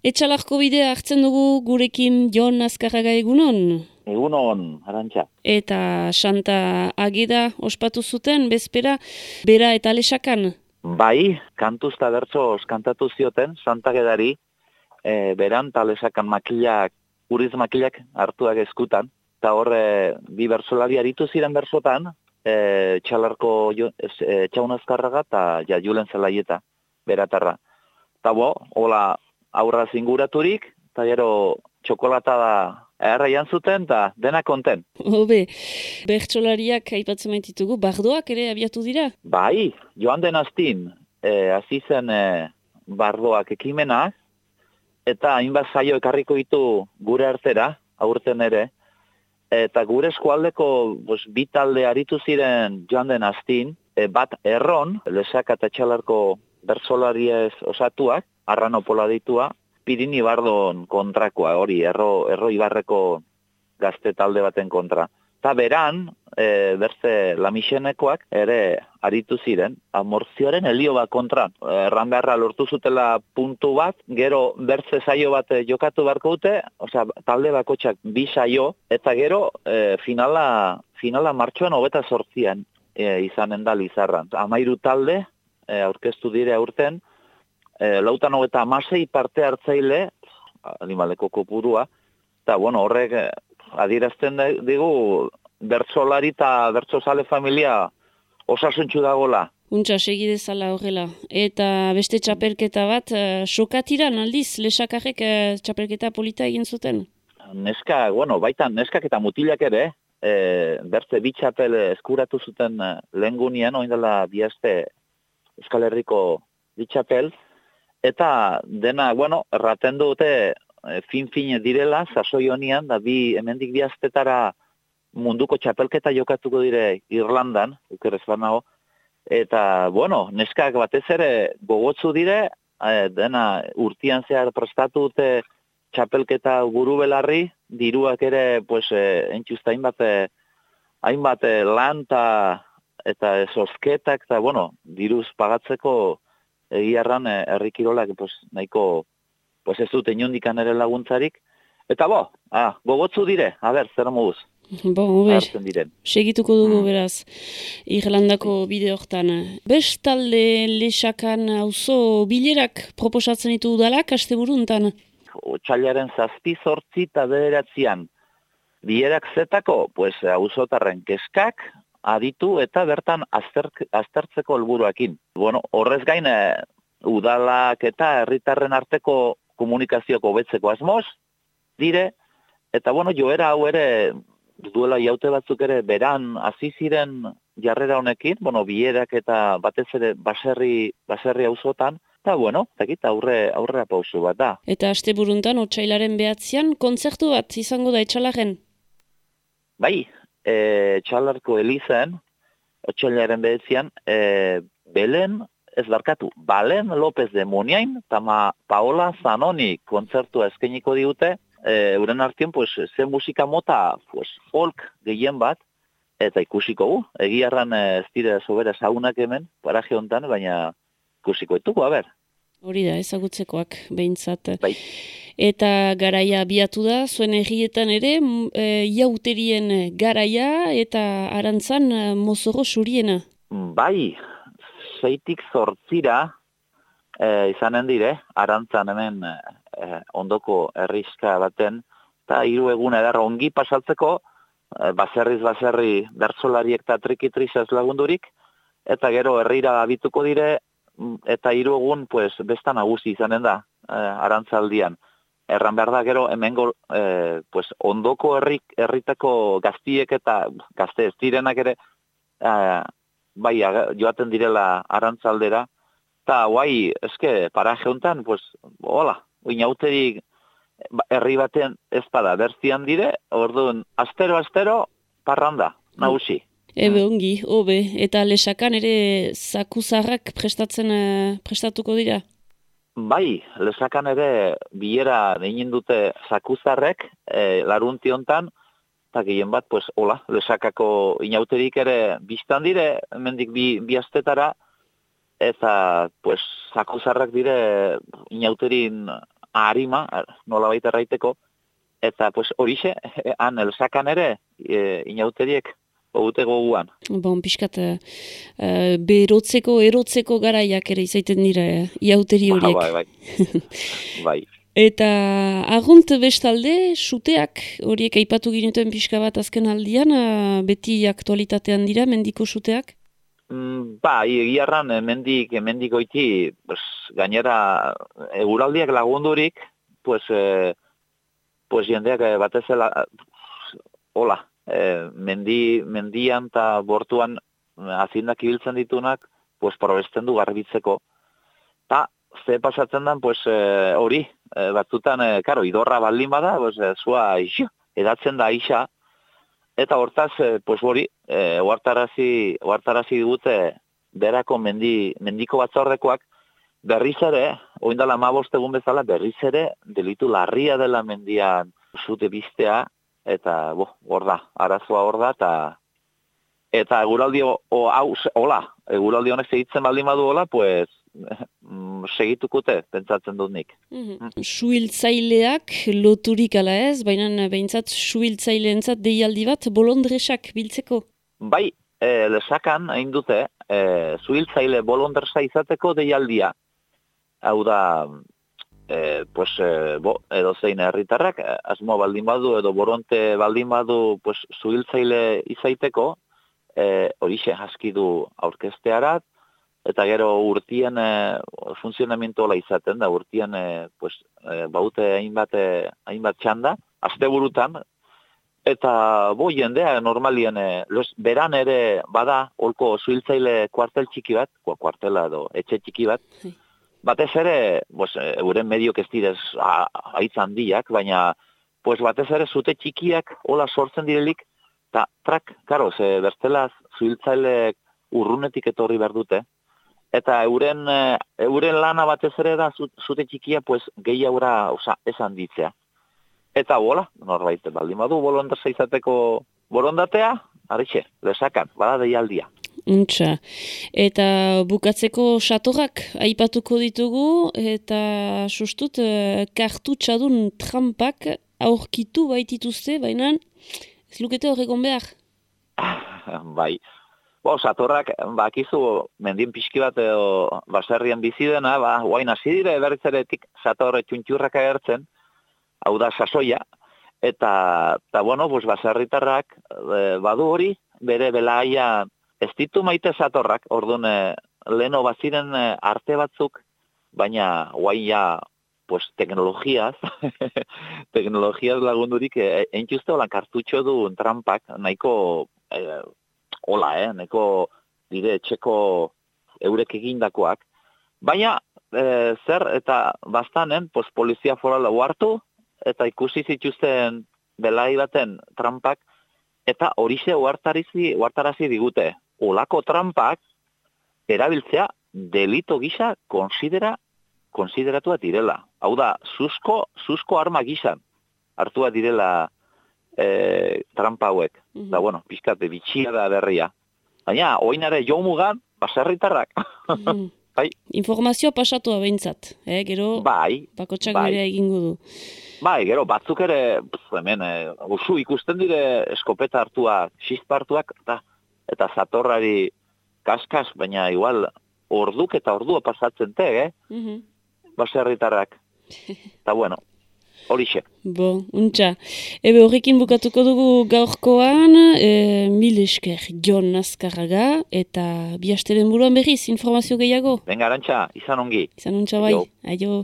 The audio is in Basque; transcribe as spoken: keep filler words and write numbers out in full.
Etxalarko bidea hartzen dugu gurekin Jon Azkarraga egunon. Egunon, Arantxa. Eta Santa Ageda ospatu zuten, bezpera, bera eta lesakan. Bai, kantuz eta bertsoz kantatu zioten, Santa Agedari, e, beran eta lesakan makilak, uriz makilak hartuak eskutan. Eta horre, bi bertsolari aritu ziren bersotan, e, Txalarko e, Txaun Azkarraga eta ja, Julen Zelaieta, beratarra. Eta bo, hola, aurra zinguraturik, eta gero txokolata da erraian zuten, eta dena konten. Hobe, bertsolariak aipatzen maititugu, bardoak ere abiatu dira? Bai, joan den astin, e, hasi zen e, bardoak ekimenak, eta hainbat zaio ekarriko ditu gure artera, aurten ere, eta gure eskualdeko pues, bi talde aritu ziren joan den astin, e, bat erron, lesaka eta Txalarko bertsolariez osatuak, Arrano Pola ditua, Pirini Bardon kontrakoa, hori, erro, erro ibarreko gazte talde baten kontra. Eta beran, e, berze Lamixenekoak ere aritu ziren, amortzioaren helio bat kontra. Erran beharra lortu zutela puntu bat, gero berze saio bat jokatu beharko dute, osea, talde bakotxak bi saio, eta gero e, finala, finala martxoan hogeta zortzian e, izanen da Lizarran. Amairu talde, e, aurkeztu dire aurten, E, lautan hogeta amasei parte hartzaile, animaleko kopurua, eta bueno, horrek adierazten digu bertsolari eta bertsozale familia osasuntxu dagola. Untxa, segidezala horrela. Eta beste txapelketa bat, uh, sokatiran aldiz, lesakarrek uh, txapelketa polita egin zuten? Neska, bueno, baitan neskak eta mutilak ere, e, bertze bi txapel eskuratu zuten lehen gunean, oindela biazte Euskal Herriko bi txapel, eta dena, bueno, erraten dute e, fin-fin direla, sasoi honian, da bi, hemendik bi astetara munduko txapelketa jokatuko dire Irlandan, ukerrez banago, eta, bueno, neskak batez ere gogotzu dire, e, dena urtian zehar prestatu dute txapelketa guru belarri, diruak ere, pues, e, entxuzta hainbat, e, hainbat e, lan ta, eta zozketak, eta, bueno, diruz pagatzeko egiarran herrikirolak pues, nahiko pues, ez dute inondikan ere laguntzarik. Eta bo, ah, gogotzu dire, a ber, zer moduz. Bo, ber, segituko dugu mm. beraz, Irlandako bide hortan. Bestalde lesakan auzo bilerak proposatzen ditu udalak, asteburuntan? Otsailaren zazpi zortzi eta bederatzian bilerak zetako, pues, auzotarren keskak, aditu eta bertan azterk, aztertzeko helburuekin. Bueno, horrez gain, e, udalak eta herritarren arteko komunikazioko hobetzeko asmoz, dire, eta bueno, joera hau ere, duela jaute batzuk ere, beran hasi ziren jarrera honekin, bueno, bilerak eta batez ere baserri, baserri auzotan, eta bueno, eta aurre, aurrera pausu bat da. Eta asteburuntan, otsailaren behatzean, kontzertu bat izango da Etxalarren? Bai, E, Txalarko Elizan, otsailaren behetzian, e, Belen, ez barkatu, Balen López de Muniain, eta Paola Zanoni kontzertua eskainiko digute, e, uren artien, pues, ze musika mota, pues, folk gehien bat, eta ikusiko gu, egiarran ez dire sobera saunak hemen, paraje hontan, baina ikusiko ditugu, a ber. Hori da, ezagutzekoak, behintzat. Bai. Eta garaia abiatu da, zuen herrietan ere, e, iauterien garaia eta arantzan e, mozorro suriena. Bai, zeitik zortzira e, izanen dire, arantzan hemen e, ondoko herrizka baten, eta hiru egun edar ongi pasatzeko, e, baserriz baserri bertsolariek eta trikitrizaz lagundurik, eta gero herrira abituko dire, eta hiru egun pues, besta nagusi izanen da, e, arantzaldian. Erran behar da, gero, hemengo, eh, pues, ondoko herrik, herritako gaztiek eta gazte ez direnak ere, eh, bai, joaten direla arantzaldera, eta guai, eske, paraje hontan, pues, hola, oinauterik herri baten ez bada, berzian dire, orduan, astero-astero, parranda, nagusi. Ebe ongi, hobe, eta lesakan ere zakuzarrak prestatzen, prestatuko dira? Bai, lesakan ere bilera egin dute zakuzarrek, e, larunti hontan, eta gehien bat, pues, hola, lesakako inauterik ere biztan dire, hemendik bi, bi astetara, eta, pues, zakuzarrak dire inauterin harima, nola baita erraiteko, eta pues horixe, han elsakan ere, e, inauteriek, ogute goguan. Bon, pixkat, uh, berotzeko, erotzeko garaiak ere izaiten dira, iauteri horiek. Ba, bai, bai. bai. Eta argunt bestalde, suteak horiek aipatu ginuten pixka bat azken aldian, uh, beti aktualitatean dira, mendiko suteak? Mm, ba, egiarran, mendik, mendikoiti, pues, gainera, eguraldiak lagundurik, pues, eh, pues jendeak batezela, hola, eh, mendi, mendian eta bortuan azindak ibiltzen ditunak, pues, probesten du garbitzeko. Ta, ze pasatzen den, pues, hori, eh, batzutan, eh, karo, idorra baldin bada, pues, eh, zua, ixo, edatzen da isa, eta hortaz, eh, pues, hori, eh, oartarazi, oartarazi dute berako mendi, mendiko batzordekoak, berriz ere, oindala hamabost egun bezala, berriz ere, delitu larria dela mendian zute biztea, eta, bo, hor da, arazoa hor da, eta, eta eguraldi, o, hau, hola, eguraldi honek segitzen baldin badu hola, pues, segitukute, pentsatzen dut nik. Mm-hmm. Suhiltzaileak loturik ala ez, baina behintzat suhiltzaileentzat deialdi bat bolondresak biltzeko? Bai, e, lesakan hain dute, e, suhiltzaile bolondresa izateko deialdia. Hau da, e, pues, e, bo, edo zein herritarrak, asmo baldin badu, edo boronte baldin badu, pues, suhiltzaile izaiteko, e, horixe, haski du aurkestearat, eta gero urtien e, funtzionamentola izaten da, urtien e, pues, e, baute hainbat, e, hainbat txanda, asteburutan, eta bo jendea normalien, e, los, beran ere bada holko suhiltzaile kuartel txiki bat, kuartela edo etxe txiki bat, batez ere, pues, euren mediok ez direz haitz handiak, baina pues, batez ere zute txikiak hola sortzen direlik, eta trak, karo, ze bertzelaz suhiltzaileek urrunetik etorri behar dute, eta euren, euren lana batez ere da zute txikia pues, gehiagoa oza, esan ditzea. Eta hola, norbait, baldin badu bolondresa izateko borondatea, arixe, lesakan, bada deialdia. Untxa. Eta bukatzeko satorrak aipatuko ditugu, eta sustut, kartutxadun trampak aurkitu baitituzte, baina ez lukete horrekon behar? Bai. Bo, satorrak, bakizu, mendien pixki bat edo baserrian bizi dena, ba, guain hasi dire berritzeretik satorre txuntxurrak agertzen, hau da sasoia, eta, eta bueno, pues, baserritarrak e, badu hori, bere belaia ez ditu maite satorrak, orduan e, leheno baziren e, arte batzuk, baina guain ja, pues, teknologiaz, teknologiaz lagundurik, e, entxuzte holan kartutxo du trampak, nahiko... E, Hola, eh, neko dire etxeko eurek egindakoak. Baina, e, zer eta bastanen, pues, polizia forala hartu eta ikusi zituzten belai baten trampak, eta horixe uhartarazi, uhartarazi digute. Olako trampak erabiltzea delito gisa konsidera, konsideratua direla. Hau da, susko, susko arma gisan hartua direla E, trampa hauek. Mm-hmm. Da, bueno, pizkate bitxia da berria. Baina, oinare jomugan, baserritarrak. Mm-hmm. Bai. Informazioa pasatua behintzat, eh? Gero, bai, bakotxak bai. bere egingo du. Bai, gero, batzuk ere, pf, hemen, e, usu ikusten dire eskopeta hartuak, xispa hartuak, eta, eta zatorrari kaskas, baina igual, orduk eta ordua pasatzen te, eh? Mm-hmm. Baserritarrak. Eta, bueno, horixe. Bo, untxa. Ebe horrekin bukatuko dugu gaurkoan, e, mil esker Jon Azkarraga, eta bi asteren buruan berriz, informazio gehiago. Benga, arantxa, izan ongi. Izan untxa bai. Aio.